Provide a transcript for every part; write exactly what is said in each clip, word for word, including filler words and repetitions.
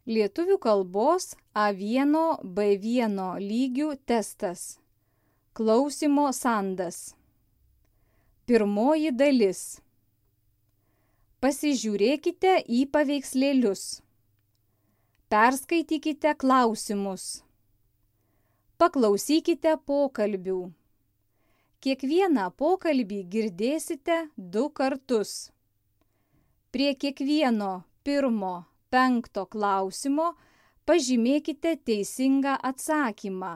Lietuvių kalbos A vienas B vienas lygių testas. Klausymo sandas. Pirmoji dalis. Pasižiūrėkite į paveikslėlius. Perskaitykite klausimus. Paklausykite pokalbių. Kiekvieną pokalbį girdėsite du kartus. Prie kiekvieno pirmo, penkto klausimo pažymėkite teisingą atsakymą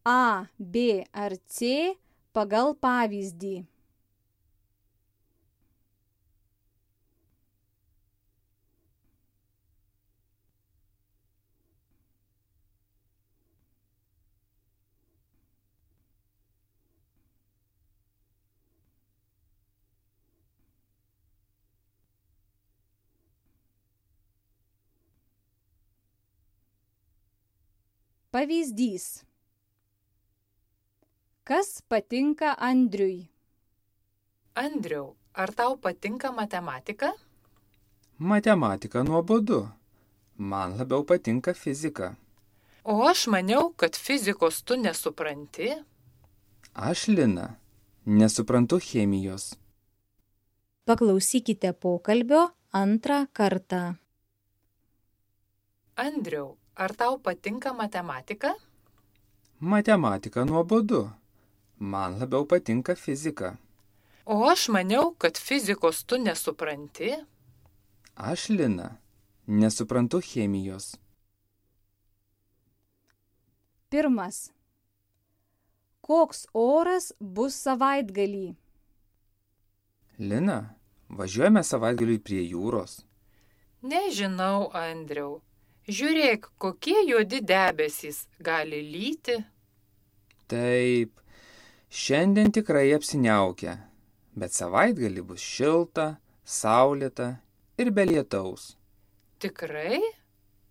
A, B ar C pagal pavyzdį. Pavyzdys. Kas patinka Andriui? Andriau, ar tau patinka matematika? Matematika nuobodu. Man labiau patinka fizika. O aš maniau, kad fizikos tu nesupranti. Aš, Lina, nesuprantu chemijos. Paklausykite pokalbio antrą kartą. Andriau, ar tau patinka matematika? Matematika nuobodu. Man labiau patinka fizika. O aš maniau, kad fizikos tu nesupranti. Aš, Lina, nesuprantu chemijos. Pirmas. Koks oras bus savaitgalį? Lina, važiuojame savaitgaliui prie jūros. Nežinau, Andriau. Žiūrėk, kokie juodi debesys gali lyti. Taip, šiandien tikrai apsiniaukia, bet savaitgalį bus šilta, saulėta ir be lietaus. Tikrai?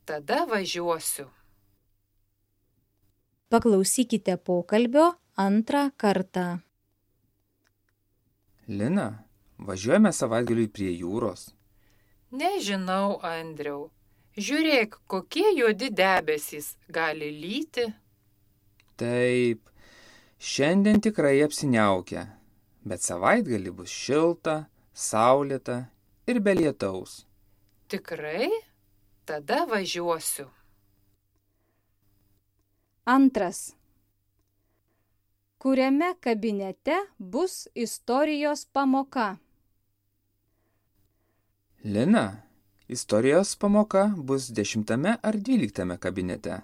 Tada važiuosiu. Paklausykite pokalbio antrą kartą. Lina, važiuojame savaitgaliui prie jūros. Nežinau, Andriau. Žiūrėk, kokie juodi debesys gali lyti. Taip, šiandien tikrai apsiniaukia, bet savaitgalį bus šilta, saulėta ir be lietaus. Tikrai? Tada važiuosiu. Antras. Kuriame kabinete bus istorijos pamoka? Lina, istorijos pamoka bus dešimtame ar dvyliktame kabinete?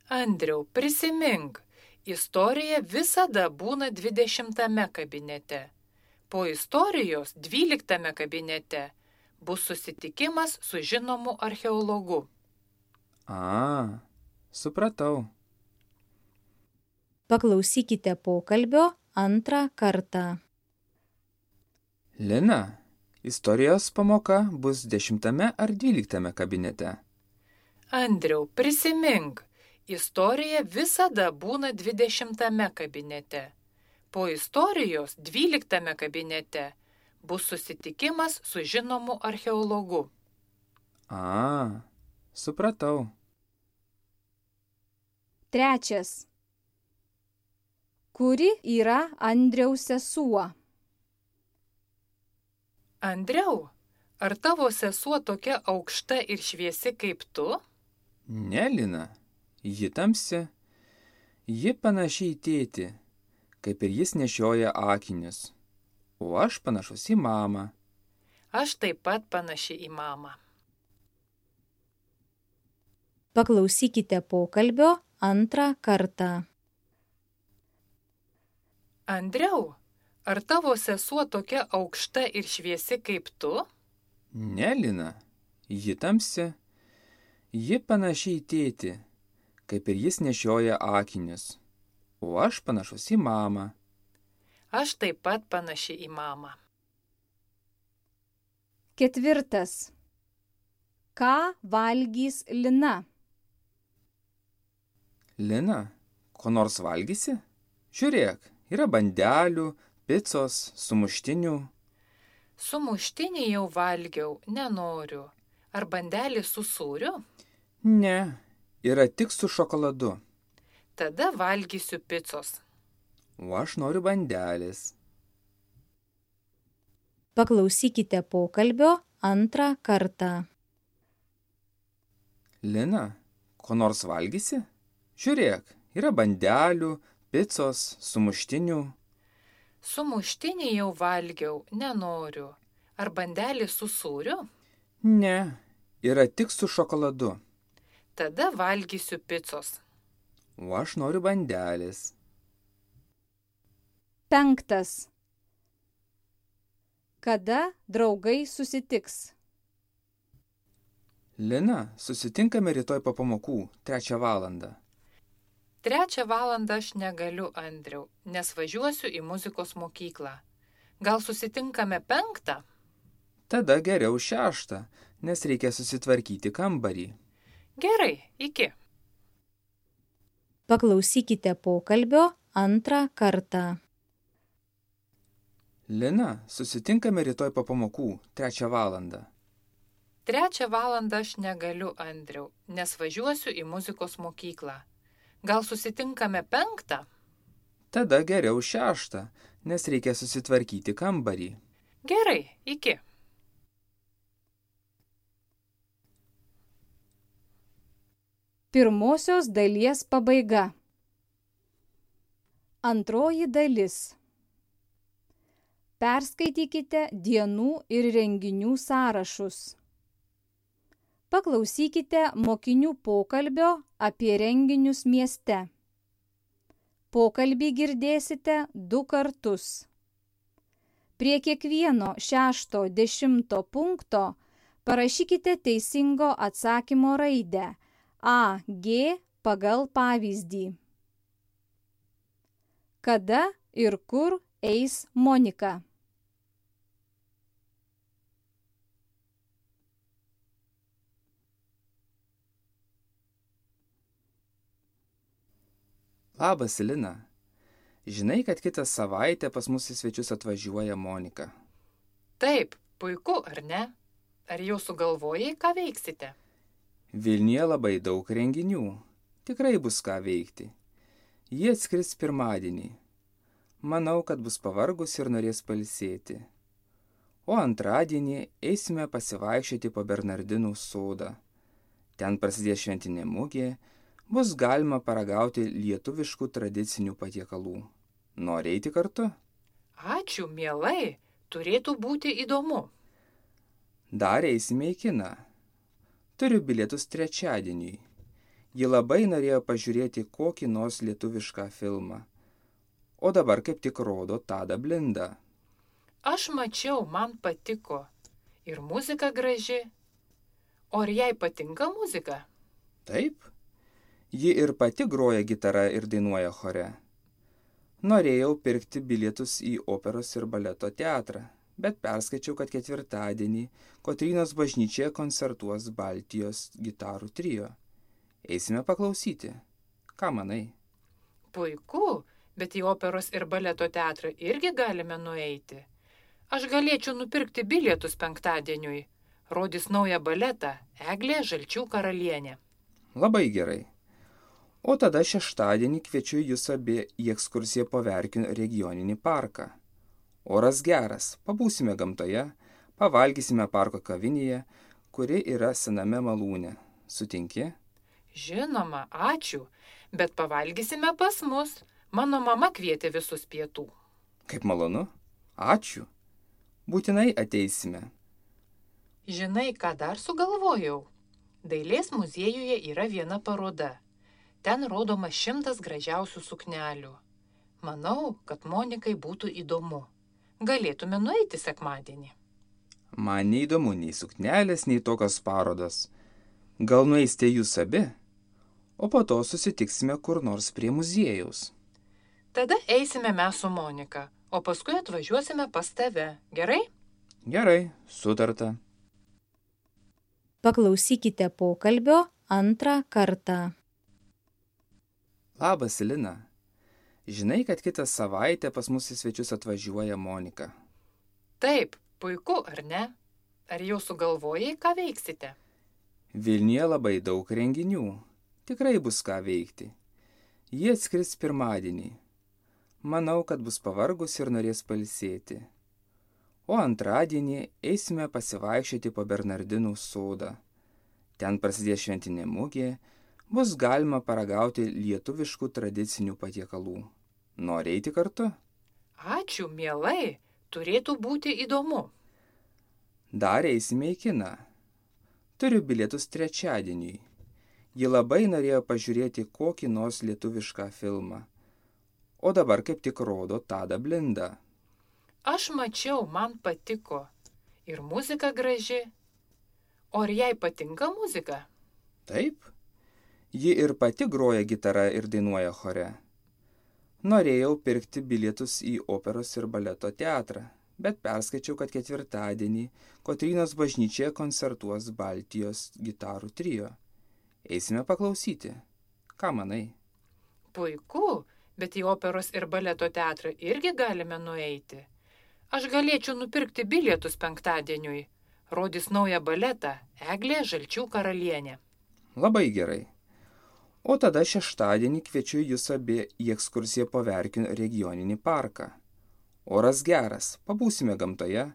Andriau, prisimink, istorija visada būna dvidešimtame kabinete. Po istorijos dvyliktame kabinete bus susitikimas su žinomu archeologu. A, supratau. Paklausykite pokalbio antrą kartą. Lina, istorijos pamoka bus dešimtame ar dvyliktame kabinete? Andriau, prisimink, istorija visada būna dvidešimtame kabinete. Po istorijos dvyliktame kabinete bus susitikimas su žinomu archeologu. A, supratau. Trečias. Kuri yra Andriaus sesuo? Andriau, ar tavo sesuo tokia aukšta ir šviesi kaip tu? Ne, Lina, ji tamsi. Ji panaši į tėtį, kaip ir jis nešioja akinius. O aš panašus į mamą. Aš taip pat panaši į mamą. Paklausykite pokalbio antrą kartą. Andriau, ar tavo sesuo tokia aukšta ir šviesi kaip tu? Ne, Lina, ji tamsi. Ji panaši į tėtį, kaip ir jis nešioja akinius. O aš panašus į mamą. Aš taip pat panaši į mamą. Ketvirtas. Ką valgys Lina? Lina, ko nors valgysi? Žiūrėk, yra bandelių, picos, sumuštinių. Sumuštinį jau valgiau, nenoriu. Ar bandelį su sūriu? Ne, yra tik su šokoladu. Tada valgysiu picos. O aš noriu bandelės. Paklausykite pokalbio antrą kartą. Lina, ko nors valgysi? Žiūrėk, yra bandelių, picos, sumuštinių. Sumuštinį jau valgiau, nenoriu. Ar bandelį su sūriu? Ne, yra tik su šokoladu. Tada valgysiu picos. O aš noriu bandelės. Penktas. Kada draugai susitiks? Lina, susitinkame rytoj po pamokų, trečią valandą. Trečią valandą aš negaliu, Andriau, nes važiuosiu į muzikos mokyklą. Gal susitinkame penktą? Tada geriau šeštą, nes reikia susitvarkyti kambarį. Gerai, iki. Paklausykite pokalbio antrą kartą. Lina, susitinkame rytoj po pamokų, trečią valandą. Trečią valandą aš negaliu, Andriau, nes važiuosiu į muzikos mokyklą. Gal susitinkame penktą? Tada geriau šeštą, nes reikia susitvarkyti kambarį. Gerai, iki. Pirmosios dalies pabaiga. Antroji dalis. Perskaitykite dienų ir renginių sąrašus. Paklausykite mokinių pokalbio apie renginius mieste. Pokalbį girdėsite du kartus. Prie kiekvieno šešto dešimto punkto parašykite teisingo atsakymo raidę A, G pagal pavyzdį. Kada ir kur eis Monika? Labas, Lina. Žinai, kad kitą savaitę pas mus į svečius atvažiuoja Monika. Taip, puiku, ar ne? Ar jau sugalvojai, ką veiksite? Vilniuje labai daug renginių. Tikrai bus ką veikti. Jie atskris pirmadienį. Manau, kad bus pavargus ir norės pailsėti. O antradienį eisime pasivaikščioti po Bernardinų sodą. Ten prasidės šventinė mugė, bus galima paragauti lietuviškų tradicinių patiekalų. Nori eiti kartu? Ačiū, mielai, turėtų būti įdomu. Dar eisime į kiną. Turiu bilietus trečiadieniui. Ji labai norėjo pažiūrėti kokį nors lietuvišką filmą. O dabar kaip tik rodo Tadą Blindą. Aš mačiau, man patiko. Ir muzika graži. O ar jai patinka muzika? Taip. Ji ir pati groja gitarą ir dainuoja chore. Norėjau pirkti bilietus į operos ir baleto teatrą, bet perskaičiau, kad ketvirtadienį Kotrynos bažnyčioje koncertuos Baltijos gitarų trio. Eisime paklausyti. Ką manai? Puiku, bet į operos ir baleto teatrą irgi galime nueiti. Aš galėčiau nupirkti bilietus penktadieniui. Rodys naują baletą Eglė Žalčių karalienė. Labai gerai. O tada šeštadienį kviečiu jūs abi į ekskursiją po Verkių regioninį parką. Oras geras, pabūsime gamtoje, pavalgysime parko kavinėje, kuri yra sename malūne. Sutinki? Žinoma, ačiū, bet pavalgysime pas mus. Mano mama kvietė visus pietų. Kaip malonu. Ačiū. Būtinai ateisime. Žinai, ką dar sugalvojau? Dailės muziejuje yra viena paroda. Ten rodoma šimtas gražiausių suknelių. Manau, kad Monikai būtų įdomu. Galėtume nueiti sekmadienį. Man neįdomu nei suknelės, nei tokios parodos. Gal nueisite jūs abi, o po to susitiksime kur nors prie muziejaus. Tada eisime mes su Monika, o paskui atvažiuosime pas tave. Gerai? Gerai, sutarta. Paklausykite pokalbio antrą kartą. Labas, Lina. Žinai, kad kitą savaitę pas mus į svečius atvažiuoja Monika. Taip, puiku, ar ne? Ar jau sugalvojai, ką veiksite? Vilniuje labai daug renginių. Tikrai bus ką veikti. Jie atskris pirmadienį. Manau, kad bus pavargus ir norės pailsėti. O antradienį eisime pasivaikščioti po Bernardinų sodą. Ten prasidės šventinė mugė, bus galima paragauti lietuviškų tradicinių patiekalų. Nori eiti kartu? Ačiū, mielai, turėtų būti įdomu. Dar eisime į kiną. Turiu bilietus trečiadieniui. Ji labai norėjo pažiūrėti kokį nors lietuvišką filmą. O dabar kaip tik rodo Tadą Blindą. Aš mačiau, man patiko. Ir muzika graži. O ar jai patinka muzika? Taip. Ji ir pati groja gitarą ir dainuoja chore. Norėjau pirkti bilietus į operos ir baleto teatrą, bet perskaičiau, kad ketvirtadienį Kotrynos bažnyčioje koncertuos Baltijos gitarų trio. Eisime paklausyti. Ką manai? Puiku, bet į operos ir baleto teatrą irgi galime nueiti. Aš galėčiau nupirkti bilietus penktadieniui. Rodys naują baletą Eglė Žalčių karalienė. Labai gerai. O tada šeštadienį kviečiu jūs abi į ekskursiją po Verkių regioninį parką. Oras geras, pabūsime gamtoje,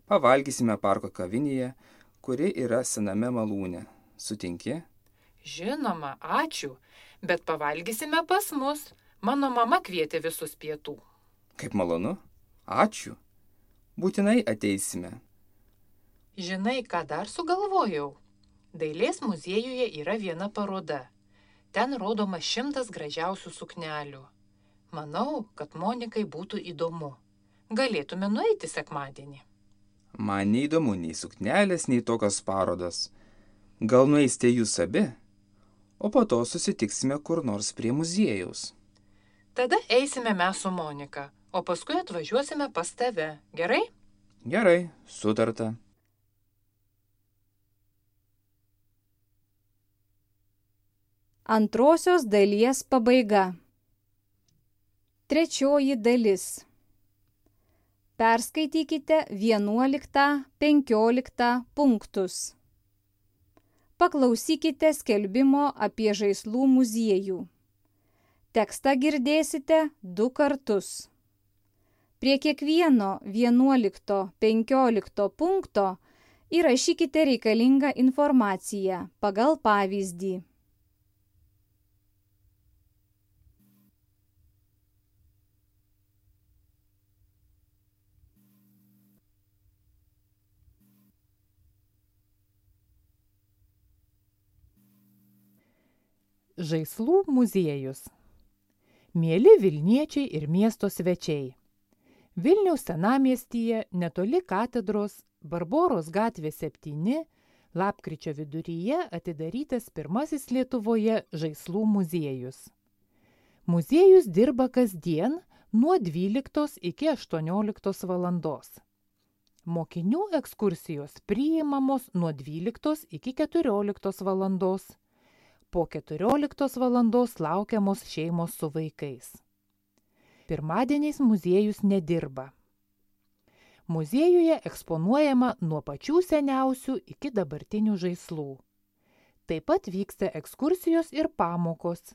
pavalgysime parko kavinėje, kuri yra sename malūne. Sutinki? Žinoma, ačiū, bet pavalgysime pas mus. Mano mama kvietė visus pietų. Kaip malonu. Ačiū. Būtinai ateisime. Žinai, ką dar sugalvojau? Dailės muziejuje yra viena paroda. Ten rodoma šimtas gražiausių suknelių. Manau, kad Monikai būtų įdomu. Galėtume nueiti sekmadienį. Man neįdomu nei suknelės, nei tokios parodos. Gal nueisite jūs abi? O po to susitiksime kur nors prie muziejaus. Tada eisime mes su Monika, o paskui atvažiuosime pas tave. Gerai? Gerai, sutarta. Antrosios dalies pabaiga. Trečioji dalis. Perskaitykite vienuoliktą, penkioliktą punktus. Paklausykite skelbimo apie žaislų muziejų. Tekstą girdėsite du kartus. Prie kiekvieno vienuolikto, penkiolikto punkto įrašykite reikalingą informaciją pagal pavyzdį. Žaislų muziejus. Mieli Vilniečiai ir miesto svečiai. Vilniaus senamiestyje netoli katedros Barboros gatvė septyni lapkričio viduryje atidarytas pirmasis Lietuvoje žaislų muziejus. Muziejus dirba kasdien nuo dvyliktos iki aštuonioliktos valandos. Mokinių ekskursijos priimamos nuo dvyliktos iki keturioliktos valandos. Po keturioliktos valandos laukiamos šeimos su vaikais. Pirmadieniais muziejus nedirba. Muziejuje eksponuojama nuo pačių seniausių iki dabartinių žaislų. Taip pat vyksta ekskursijos ir pamokos.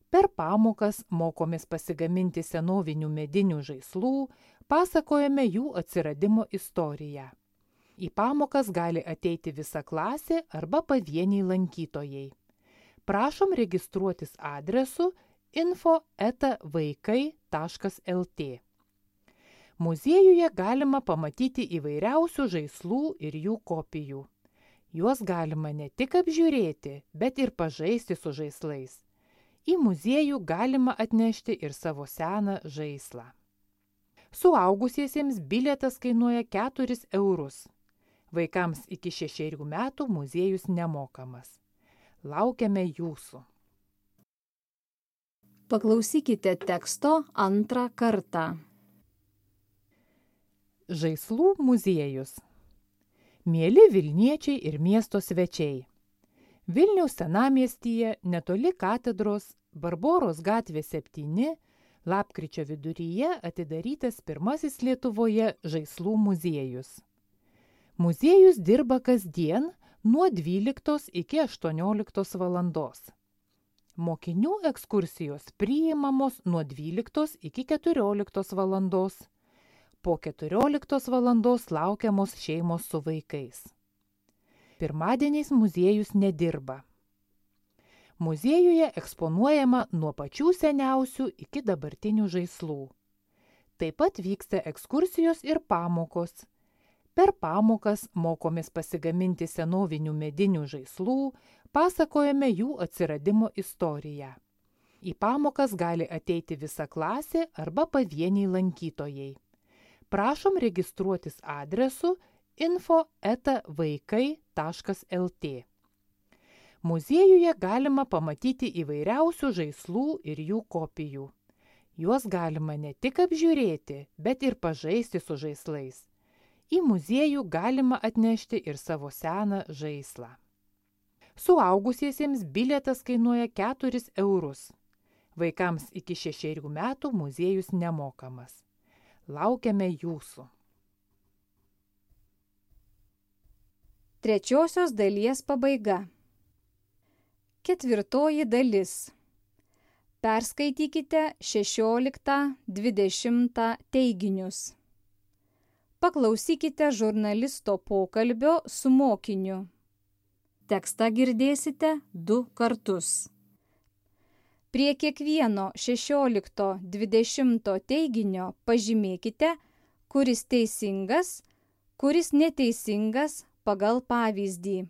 Per pamokas mokomės pasigaminti senovinių medinių žaislų, pasakojame jų atsiradimo istoriją. Į pamokas gali ateiti visa klasė arba pavieniai lankytojai. Prašom registruotis adresu info eta vaikai taškas lt. Muziejuje galima pamatyti įvairiausių žaislų ir jų kopijų. Juos galima ne tik apžiūrėti, bet ir pažaisti su žaislais. Į muziejų galima atnešti ir savo seną žaislą. Suaugusiesiems bilietas kainuoja keturis eurus. Vaikams iki šešerių metų muziejus nemokamas. Laukiame jūsų. Paklausykite teksto antrą kartą. Žaislų muziejus. Mieli Vilniečiai ir miesto svečiai. Vilniaus senamiestyje netoli katedros Barboros gatvė septyni lapkričio viduryje atidarytas pirmasis Lietuvoje žaislų muziejus. Muziejus dirba kasdien nuo dvyliktos iki aštuonioliktos valandos. Mokinių ekskursijos priimamos nuo dvyliktos iki keturioliktos valandos. Po keturioliktos valandos laukiamos šeimos su vaikais. Pirmadieniais muziejus nedirba. Muziejuje eksponuojama nuo pačių seniausių iki dabartinių žaislų. Taip pat vyksta ekskursijos ir pamokos. Per pamokas mokomės pasigaminti senovinių medinių žaislų, pasakojame jų atsiradimo istoriją. Į pamokas gali ateiti visa klasė arba pavieniai lankytojai. Prašom registruotis adresu info eta vaikai taškas lt. Muziejuje galima pamatyti įvairiausių žaislų ir jų kopijų. Juos galima ne tik apžiūrėti, bet ir pažaisti su žaislais. Į muziejų galima atnešti ir savo seną žaislą. Suaugusiesiems bilietas kainuoja keturis eurus. Vaikams iki šešerių metų muziejus nemokamas. Laukiame jūsų. Trečiosios dalies pabaiga. Ketvirtoji dalis. Perskaitykite šešioliktą dvidešimtą teiginius. Paklausykite žurnalisto pokalbio su mokiniu. Tekstą girdėsite du kartus. Prie kiekvieno šešiolikto dvidešimto teiginio pažymėkite, kuris teisingas, kuris neteisingas pagal pavyzdį.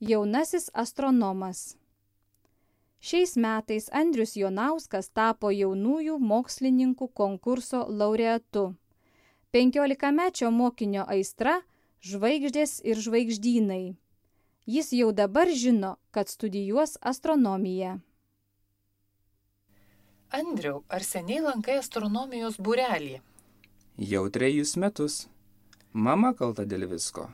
Jaunasis astronomas. Šiais metais Andrius Jonauskas tapo jaunųjų mokslininkų konkurso laureatu. Penkiolikamečio mokinio aistra – žvaigždės ir žvaigždynai. Jis jau dabar žino, kad studijuos astronomiją. Andriau, ar seniai lankai astronomijos būrelį? Jau trejus metus. Mama kalta dėl visko.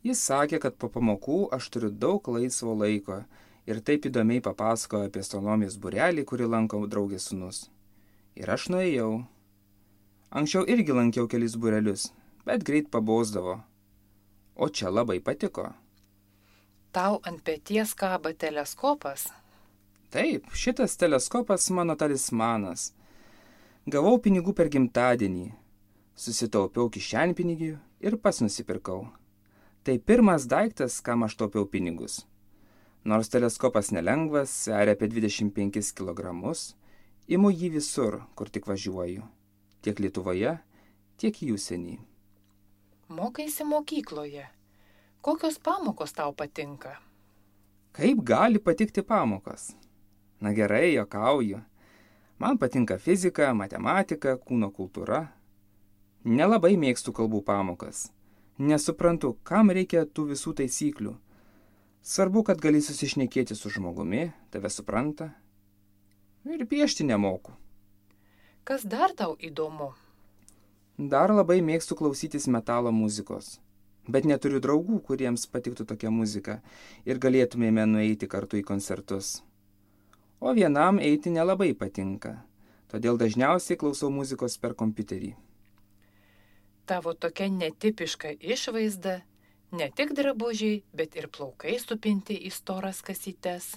Jis sakė, kad po pamokų aš turiu daug laisvo laiko ir taip įdomiai papasakojo apie astronomijos būrelį, kurį lanko draugės sūnus. Ir aš nuėjau. Anksčiau irgi lankiau kelis būrelius, bet greit pabosdavo. O čia labai patiko. Tau ant peties kaba teleskopas? Taip, šitas teleskopas mano talismanas. Gavau pinigų per gimtadienį. Susitaupiau kišenpinigių ir pats nusipirkau. Tai pirmas daiktas, kam aš taupiau pinigus. Nors teleskopas nelengvas, sveria apie dvidešimt penkis kilogramus, imu jį visur, kur tik važiuoju. Tiek Lietuvoje, tiek į užsienį. Mokaisi mokykloje. Kokios pamokos tau patinka? Kaip gali patikti pamokos? Na gerai, juokauju. Man patinka fizika, matematika, kūno kultūra. Nelabai mėgstu kalbų pamokas. Nesuprantu, kam reikia tų visų taisyklių. Svarbu, kad gali susišnekėti su žmogumi, tave supranta. Ir piešti nemoku. Kas dar tau įdomu? Dar labai mėgstu klausytis metalo muzikos. Bet neturiu draugų, kuriems patiktų tokia muzika ir galėtumėme nueiti kartu į koncertus. O vienam eiti nelabai patinka. Todėl dažniausiai klausau muzikos per kompiuterį. Tavo tokia netipiška išvaizda, ne tik drabužiai, bet ir plaukai supinti į storas kasytes.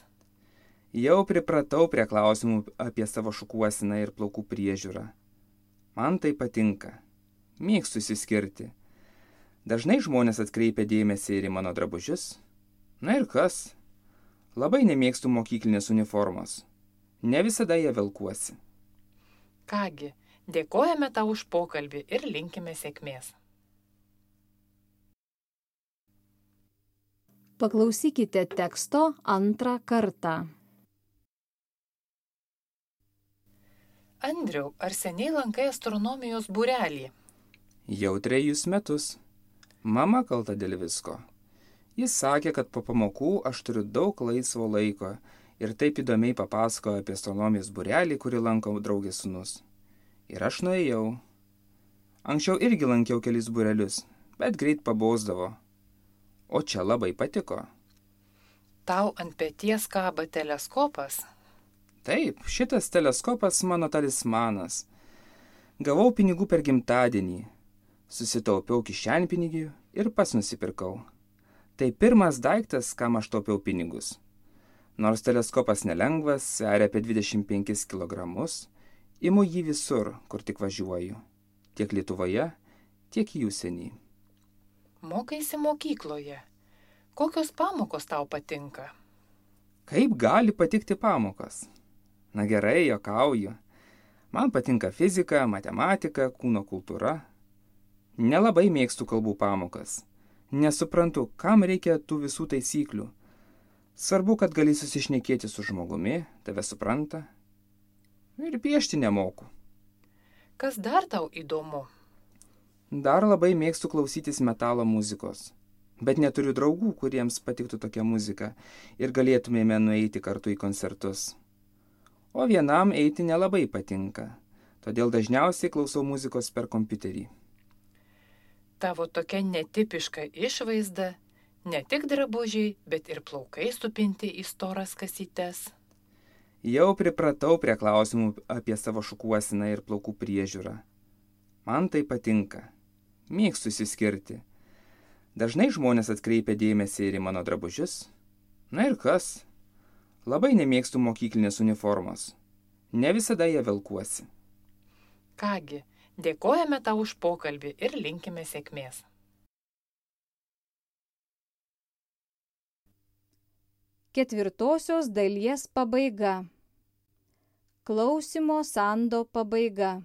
Jau pripratau prie klausimų apie savo šukuosiną ir plaukų priežiūrą. Man tai patinka. Mėgstu išsiskirti. Dažnai žmonės atkreipia dėmesį ir į mano drabužius. Na ir kas? Labai nemėgstu mokyklinės uniformos. Ne visada ją velkuosi. Kągi, dėkojame tau už pokalbį ir linkime sėkmės. Paklausykite teksto antrą kartą. Andriau, ar seniai lankai astronomijos būrelį? Jau trejus metus. Mama kalta dėl visko. Jis sakė, kad po pamokų aš turiu daug laisvo laiko ir taip įdomiai papasakojo apie astronomijos būrelį, kurį lanko draugės sūnus. Ir aš nuėjau. Anksčiau irgi lankiau kelis būrelius, bet greit pabosdavo. O čia labai patiko. Tau ant peties kaba teleskopas? Taip, šitas teleskopas mano talismanas. Gavau pinigų per gimtadienį. Susitaupiau kišenpinigių ir pats nusipirkau. Tai pirmas daiktas, kam aš taupiau pinigus. Nors teleskopas nelengvas, sveria apie dvidešimt penkis kilogramus, imu jį visur, kur tik važiuoju. Tiek Lietuvoje, tiek į užsienį. Mokaisi mokykloje. Kokios pamokos tau patinka? Kaip gali patikti pamokos? Na gerai, juokauju. Man patinka fizika, matematika, kūno kultūra. Nelabai mėgstu kalbų pamokas. Nesuprantu, kam reikia tų visų taisyklių. Svarbu, kad gali susišnekėti su žmogumi, tave supranta. Ir piešti nemoku. Kas dar tau įdomu? Dar labai mėgstu klausytis metalo muzikos. Bet neturiu draugų, kuriems patiktų tokia muzika ir galėtumėme nueiti kartu į koncertus. O vienam eiti nelabai patinka, todėl dažniausiai klausau muzikos per kompiuterį. Tavo tokia netipiška išvaizda, ne tik drabužiai, bet ir plaukai supinti į storas kasytes. Jau pripratau prie klausimų apie savo šukuosiną ir plaukų priežiūrą. Man tai patinka. Mėgstu išsiskirti. Dažnai žmonės atkreipia dėmesį ir į mano drabužius. Na ir kas? Labai nemėgstu mokyklinės uniformos. Ne visada ją velkuosi. Kągi, dėkojame tau už pokalbį ir linkime sėkmės. Ketvirtosios dalies pabaiga. Klausimo sando pabaiga.